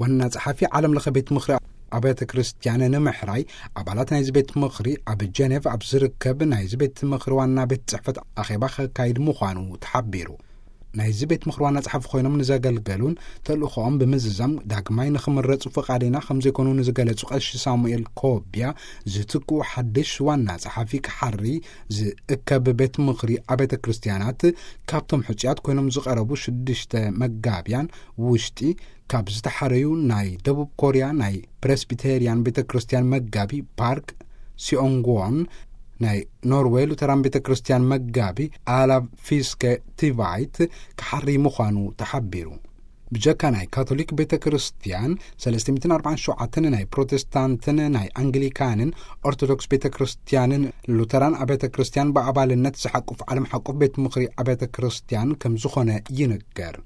ዋና ጸሓፊ ዓለም ለኸ ቤት ምኽሪ ኣብያተ ክርስቲያን ንምሕራይ፣ ኣባላት ናይዚ ቤት ምኽሪ ኣብ ጀኔቭ ኣብ ዝርከብ ናይዚ ቤት ምኽሪ ዋና ቤት ጽሕፈት ኣኼባ ከካይድ ምዃኑ ተሓቢሩ። ናይዚ ቤት ምኽሪ ዋና ጸሓፊ ኮይኖም ንዘገልገሉን ተልእኾኦም ብምዝዛም ዳግማይ ንኽምረጹ ፍቓደኛ ከም ዘይኮኑ ንዝገለጹ ቀሺ ሳሙኤል ኮቢያ፣ ዝትክኡ ሓድሽ ዋና ጸሓፊ ክሓሪ ዝእከብ ቤት ምኽሪ ኣብያተ ክርስቲያናት፣ ካብቶም ሕጹያት ኮይኖም ዝቐረቡ ሽዱሽተ መጋብያን ውሽጢ፣ ካብ ዝተሓረዩ ናይ ደቡብ ኮርያ ናይ ፕሬስቢቴርያን ቤተ ክርስቲያን መጋቢ ፓርክ ሲኦንግዎን፣ ናይ ኖርዌይ ሉተራን ቤተ ክርስቲያን መጋቢ ኣላቭ ፊስከ ቲቫይት ክሓሪ ምዃኑ ተሓቢሩ። ብጀካ ናይ ካቶሊክ ቤተ ክርስቲያን ሰለስተ ሚእትን ኣርባዓን ሸውዓተን፣ ናይ ፕሮቴስታንትን ናይ ኣንግሊካንን ኦርቶዶክስ ቤተ ክርስቲያንን ሉተራን ኣብያተ ክርስቲያን ብኣባልነት ዝሓቁፍ ዓለም ሓቁፍ ቤት ምኽሪ ኣብያተ ክርስቲያን ከም ዝኾነ ይንገር።